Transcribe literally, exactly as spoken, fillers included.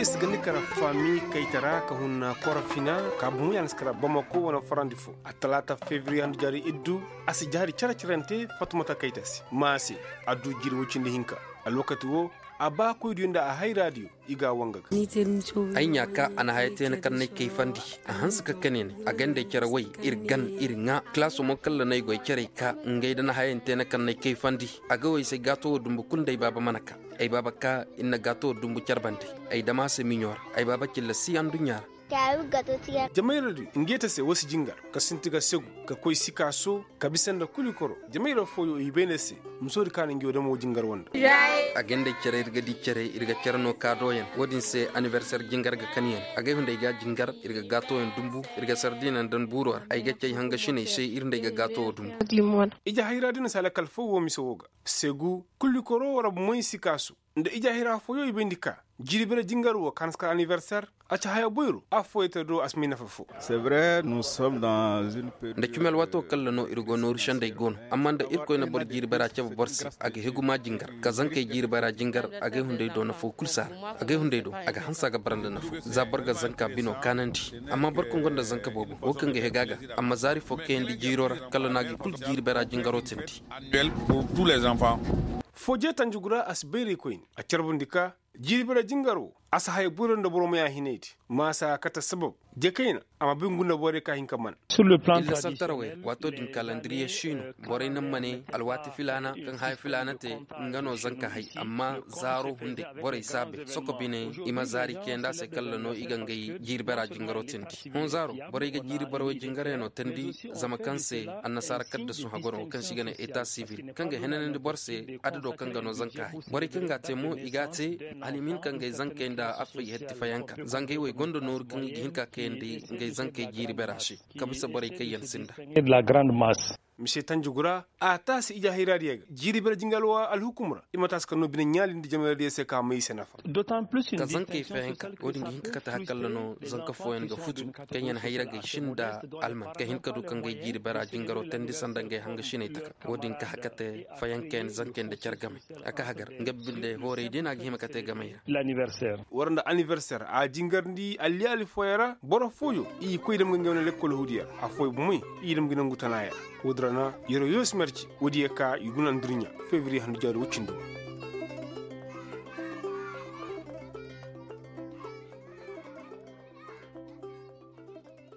Sigandi kara fami kayta ra ka hunna korofina ka bumu yaŋ si kara bamako wane farandi fo a talaata fevriye handu jaari iddu. A si jaari care-carante fatumata kayta se ma a se. A du jiiri woy cindi hinka. Alwakati wo a ba koy diyo nda a hayra diyo. I ga a wanga ga. Ay ɲa ka a na haya te ni kaŋ n'ay kayfandi. A hanse ka kane ne a gandey care way iri gan iri ŋwa kalaaso mo kaŋ ra n'ay goy carey ka ngey da ni hayante ni kaŋ n'ay kayfandi. A ga wo ay se gaato wo dumbu kulu nda ay baaba mana ka. Ay baaba ka iri na gaato wo dumbu care bande. Ay dama se miɲo ra. Ay baaba cilla si anduɲɲa ra. Jamayra di ngey ta se wo si jingar ka sinti ga segu ka koy sikaaso ka bisa nda kulikoro. Jamayra fooyo i bay ne se. Muso di kaanu ngey wo damo jingar wanda. A gandey care iri ga di care iri ga care no ka dooyaŋ wo- din se aniberser jingar ga kan yaŋ. Agay hunday ga jingar iri ga gaato yaŋ dumbu. Iri ga sardiina nda ni buuro ra ay ga cay hangasiney se iri nd'ay ga gaato wo dumbu. Ije hayra di na si a lakkal fo wo mise wo ga segu kulikoro wara bomoy sikaaso. Nda ije hayra fooyo i bay nda ka jiiri bare jingar wo kaanu si kar aniberser. A ci haya boyro a fooyey te do a si may nafa fo. Nda cumi alwaato kaŋ ra no iri go nooru sendey go no. Amma nda irkoy na boro jiiri bare a cabe boro se a ga hegu ma jingar ka zankey jiiri bare a jingar. Agay hunday do nafa wo kulu si a ra. Agay hunday do a ga hanse a ga bara nda nafa za boro ga zanka bino kaanandi. Amma boro kaŋ gonda zanka boobo wo kaŋ ga hegu a ga a ma zaari fo kayandi jiiro ra kala no a ga i kulu jiiri bare a jingaro tindi. Fooje tanjugu ra a si bayray koyne a carbundi ka jiiri bare jingar wo a si haya boyro nda boro ma ya hinay di. Ma a si a kate sabab je kayna a ma bay ngu nda borey ka hin ka mana. Illa santarawey ra waato din kalandiriye si no. Borey naŋ ma ne alwaati filaana kaŋ haya filaana te nga no zanka hay amma zaaro hunday borey si a bay soko bine. I ma zaari kayandi a se kala no i ga ngey jiiri bare a jingaro tindi. Hõ zaaro borey ga jiiri bare wo jingarey no tindi. Zama kaŋ se annasaara kaddasu hagoro kaŋ se i ga ne eta sivil kaŋ ga henanandi boro se adado kaŋ ga no zanka hay. Borey kaŋ ga a te mo i ga a te hala i ma hin ka ngey zankey nda affay hetti fayanka zangey wo i gonda nooru kaŋ i ga hin ka kayandi ngey zankey jiiri bare a se. Ka bisa borey kaŋ yaŋ sinda. Mise tanjugu ra a taasi ije hayra diya ga jiiri bare jinga alwa alhukum ra i ma taasi ka no bine ɲaali nda jamayradiya se ka may i se nafa. Ka zankey fayanka wo- din ga hin ka kate hakalla no zanka fooyaŋ ga futu kaŋ yaŋ hayra ga i sinda alman ka hin ka du ka ngey jiiri bare a jingaro tandi sanda ngey hangasiney taka. Wo- din ka hakate fayanka yaŋ zankey nda care game a ka hagar nga binde hooray day no a ga hima ka te gamey ra. War nda aniberser a jingarndi alliyaali fooyaŋ ra boro fooyo i koy dam ga ngey wane lekkol huudiya ra afooyaŋ bumey i dam ga nangu tana yaŋ. Wo- din ra na yero yoosi marci wo- din yaŋ ka i guna nda iri ɲa fevriye handu jaari wo- cindo.